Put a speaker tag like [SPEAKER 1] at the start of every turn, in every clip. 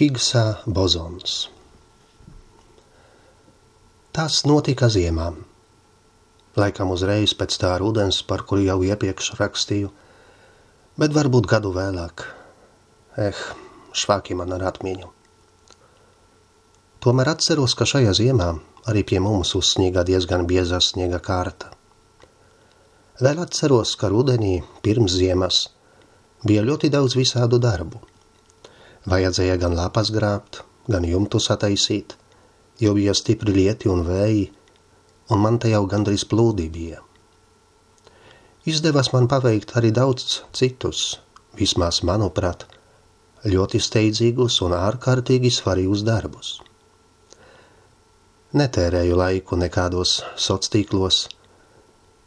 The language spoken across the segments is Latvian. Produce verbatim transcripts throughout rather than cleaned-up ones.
[SPEAKER 1] Higgsa bozons. Tas notika ziemā. Laikam uzreiz pēc tā rudens, par kuru jau iepriekš rakstīju, bet varbūt gadu vēlāk. Eh, švāki man ar atmiņu. Tomēr atceros, ka šajā ziemā arī pie mums uzsniega diezgan bieza sniega kārta. Vēl atceros, ka rudenī pirms ziemas bija ļoti daudz visādu darbu. Vajadzēja gan lapas grābt, gan jumtus attaisīt, jo bija stipri lieti un vēji, un man te jau gandrīz plūdi bija. Izdevās man paveikt arī daudz citus, vismaz manuprāt, ļoti steidzīgus un ārkārtīgi svarīgus darbus. Netērēju laiku nekādos sociālos,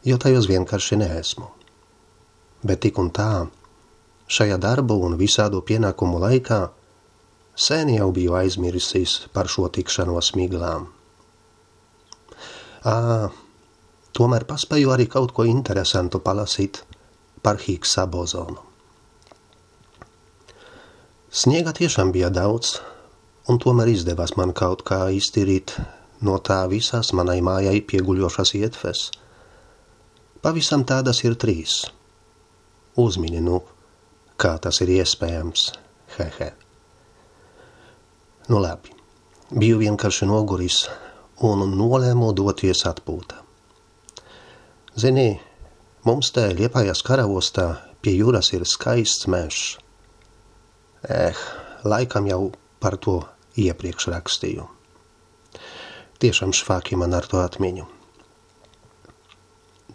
[SPEAKER 1] jo tajos vienkārši neesmu. Bet tik un tā, šajā darbu un visādu pienākumu laikā sen jau biju aizmirsis par šo tikšanos miglām. Ā, tomēr paspēju arī kaut ko interesantu palasīt par Higgsa bozonu. Sniega tiešām bija daudz, un tomēr izdevās man kaut kā iztīrīt no tā visās manai mājai pieguļošas ietves. Pavisam tādas ir trīs. Uzmini, nu, kā tas ir iespējams, hehe. Nu labi, biju vienkārši noguris un nolēmu doties atpūtā. Zini, mums te Liepājas karavostā pie jūras ir skaists mežs. Eh, laikam jau par to iepriekš rakstīju. Tiešām švāki man ar to atmiņu.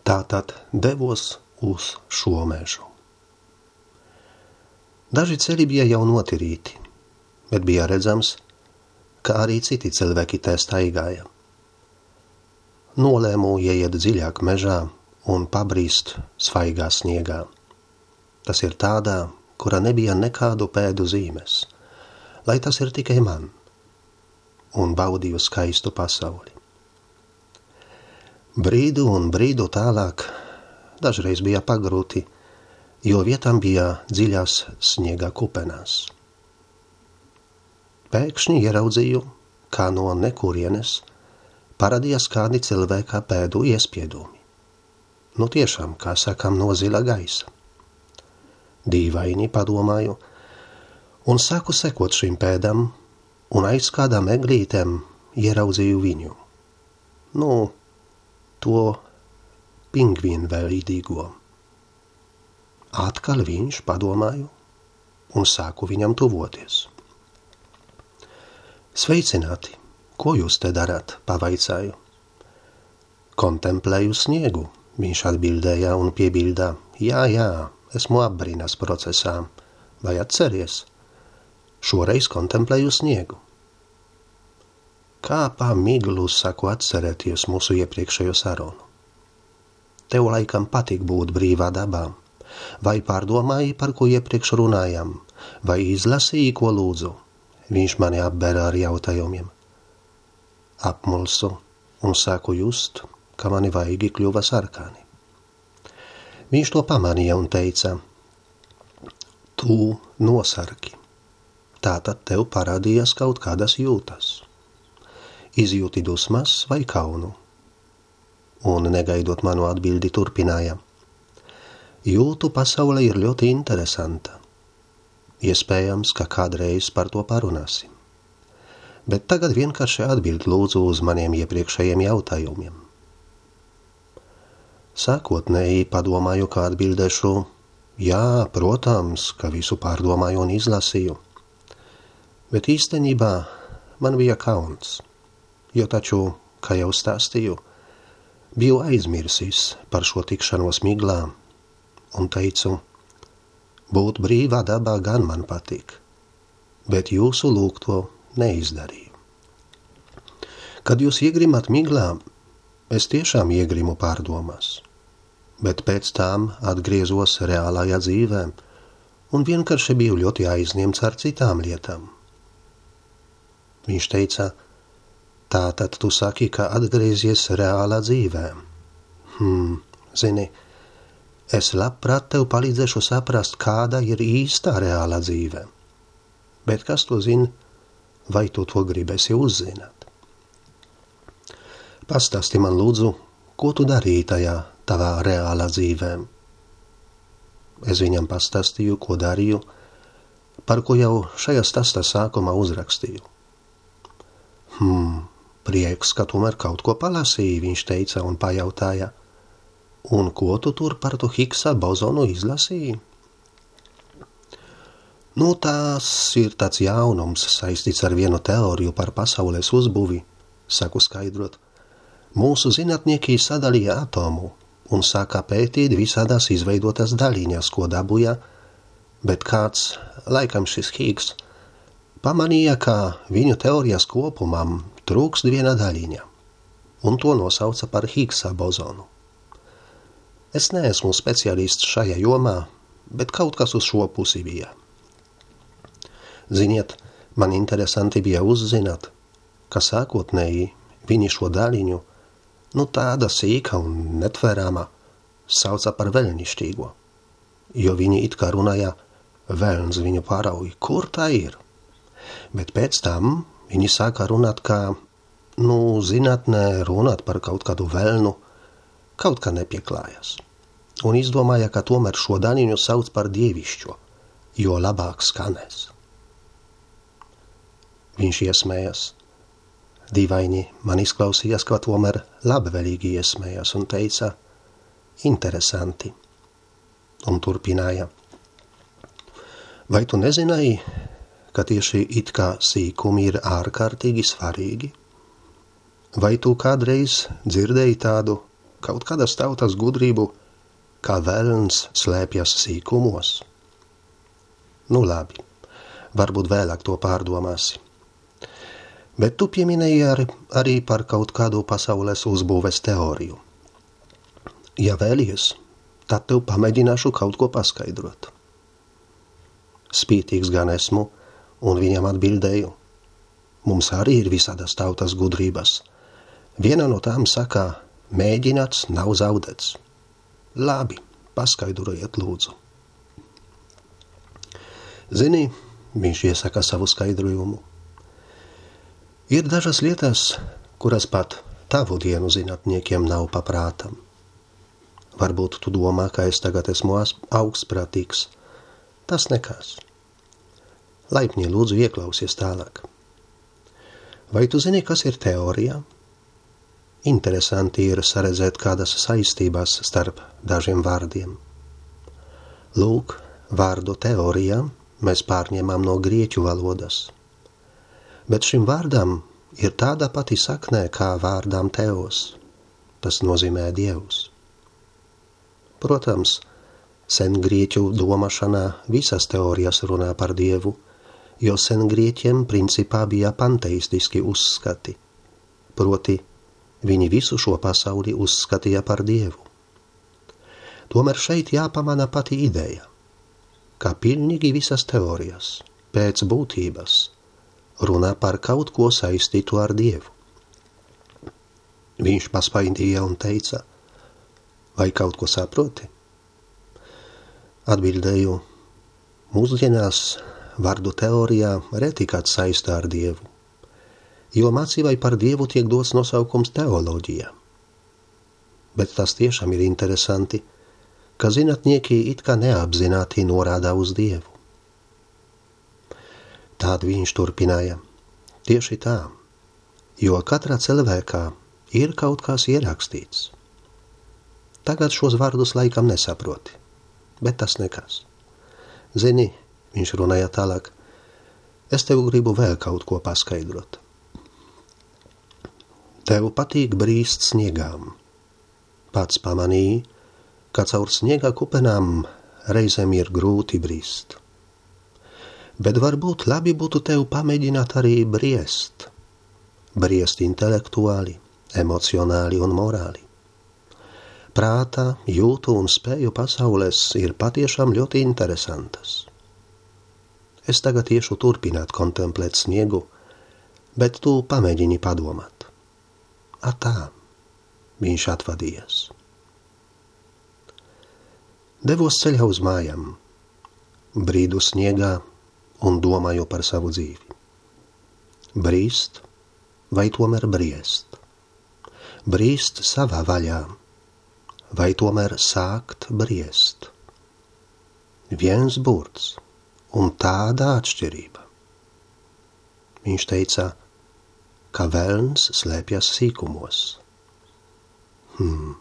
[SPEAKER 1] Tātad devos uz šo mežu. Daži ceļi bija jau notirīti, bet bija redzams, ka arī citi cilvēki te staigāja. Nolēmu ieiet dziļāk mežā un pabrīst svaigā sniegā. Tas ir tādā, kura nebija nekādu pēdu zīmes, lai tas ir tikai man, un baudīju skaistu pasauli. Brīdu un brīdu tālāk dažreiz bija pagrūti, jo vietām bija dziļās sniega kupenās. Pēkšņi ieraudzīju, kā no nekurienes parādījās kādi cilvēka pēdu iespiedumi. Nu tiešām, kā sakām, no zila gaisa. Dīvaini, padomāju, un sāku sekot šīm pēdām, un aiz kādām eglītēm ieraudzīju viņu. Nu, to pingvīnu veidīgo. Atkal viņš, padomāju, un sāku viņam tuvoties. Sveicināti, ko jūs te darāt, pavaicāju. Kontemplēju sniegu, viņš atbildēja un piebildā. Jā, jā, esmu apbrīnas procesā, vai atceries? Šoreiz kontemplēju sniegu. Kā pa miglu saku atcerēties mūsu iepriekšējo sarunu. Tev laikam patīk būt brīvā dabā. Vai pārdomāji, par ko iepriekš runājam, vai izlasīji, ko lūdzu? Viņš mani apbēra ar jautājumiem. Apmulsu un sāku just, ka mani vaigi kļuva sarkani. Viņš to pamanīja un teica, tu nosarki, tātad tev parādījās kaut kādas jūtas. Izjūti dusmas vai kaunu? Un negaidot manu atbildi turpināja. Jūtu pasaule ir ļoti interesanta. Iespējams, ka kādreiz par to parunāsim. Bet tagad vienkārši atbild lūdzu uz maniem iepriekšējiem jautājumiem. Sākotnēji padomāju, kā atbildēšu, jā, protams, ka visu pārdomāju un izlasīju. Bet īstenībā man bija kauns, jo taču, kā jau stāstīju, biju aizmirsis par šo tikšanos miglām, un teicu, būt brīvā dabā gan man patīk, bet jūsu lūgto neizdarīju. Kad jūs iegrimat miglā, es tiešām iegrimu pārdomās, bet pēc tām atgriezos reālajā dzīvē un vienkārši biju ļoti aizņemts ar citām lietām. Viņš teica, tātad tu saki, ka atgriezies reālā dzīvē. Hmm, zini, es labprāt tev palīdzēšu saprast, kāda ir īstā reālā dzīve. Bet kas to zina, vai tu to gribēsi uzzināt? Pastāsti man lūdzu, ko tu darīji tajā tavā reālā dzīvēm? Es viņam pastāstīju, ko darīju, par ko jau šajā stāstā sākumā uzrakstīju. Hmm, prieks, ka tomēr kaut ko palasīji, viņš teica un pajautāja. Un ko tu tur par to Higgsa bozonu izlasīji? Nu, tās ir tāds jaunums saistīts ar vienu teoriju par pasaules uzbūvi, saku skaidrot. Mūsu zinātnieki sadalīja atomu un sāka pētīt visādās izveidotas daļiņas, ko dabūja, bet kāds, laikam šis Higgs, pamanīja, ka viņu teorijas kopumam trūkst viena daļiņa, un to nosauca par Higgsa bozonu. Es neesmu speciālists šajā jomā, bet kaut kas uz šo pusi bija. Ziniet, man interesanti bija uzzināt, ka sākotnēji viņi šo daļiņu, nu tāda sīka un netverama, sauca par veļnišķīgo, jo viņi it kā runāja, velns viņu pārauj, kur tā ir? Bet pēc tam viņi sāka runāt, kā, nu, zinātnē runāt par kaut kādu velnu, kaut kā nepieklājas, un izdomāja, ka tomēr šo daļiņu sauc par dievišķo, jo labāk skanēs. Viņš iesmējas. Dīvaini man izklausījās, ka tomēr labvēlīgi iesmējas un teica, interesanti, un turpināja. Vai tu nezināji, ka tieši it kā sīkumi ir ārkārtīgi svarīgi? Vai tu kādreiz dzirdēji tādu kaut kādas tautas gudrību, kā velns slēpjas sīkumos? Nu labi, varbūt vēlāk to pārdomāsi. Bet tu pieminēji ar, arī par kaut kādu pasaules uzbūves teoriju. Ja vēlies, tad tev pamēģināšu kaut ko paskaidrot. Spītīgs gan esmu, un viņam atbildēju. Mums arī ir visādas tautas gudrības. Viena no tām saka, mēģināts nav zaudēts. Labi, paskaidrojiet lūdzu. Zini, viņš iesaka savu skaidrojumu. Ir dažas lietas, kuras pat tavu dienu zinātniekiem nav paprātam. Varbūt tu domā, ka es tagad esmu augstprātīgs. Tas nekas. Laipni lūdzu ieklausies tālāk. Vai tu zini, kas ir teorija? Interesanti ir saredzēt kādas saistības starp dažiem vārdiem. Lūk, vārdu teorija mēs pārņemam no grieķu valodas. Bet šim vārdam ir tāda pati saknē kā vārdām teos. Tas nozīmē dievs. Protams, sen grieķu domāšanā visas teorijas runā par dievu, jo sen grieķiem principā bija panteistiski uzskati. Proti, viņi visu šo pasauli uzskatīja par dievu. Tomēr šeit jāpamana pati ideja, ka pilnīgi visas teorijas, pēc būtības, runā par kaut ko saistītu ar dievu. Viņš paspaidīja un teica, vai kaut ko saproti? Atbildēju, mūsdienās vārdu teorijā reti kāds saistā ar dievu, jo mācībai par dievu tiek dots nosaukums teoloģija. Bet tas tiešām ir interesanti, ka zinātnieki it kā neapzināti norāda uz dievu. Tād viņš turpināja. Tieši tā, jo katrā cilvēkā ir kaut kas ierakstīts. Tagad šos vārdus laikam nesaproti, bet tas nekas. Zini, viņš runāja tālāk, es tev gribu vēl kaut ko paskaidrot. Tev patīk brīst sniegām. Pats pamanīji, ka caur sniega kupenām reizēm ir grūti brīst. Bet varbūt labi būtu tev pamēģināt arī briest. Briest intelektuāli, emocionāli un morāli. Prāta, jūtu un spēju pasaules ir patiešām ļoti interesantas. Es tagad iešu turpināt kontemplēt sniegu, bet tu pamēģini padomāt. Atā, viņš atvadījies. Devos ceļā uz mājām, brīdu sniegā un domāju par savu dzīvi. Brīst vai tomēr briest? Brīst savā vaļā vai tomēr sākt briest? Viens burts un tāda atšķirība. Viņš teica, ka velns slēpjas sīkumos. Hmm.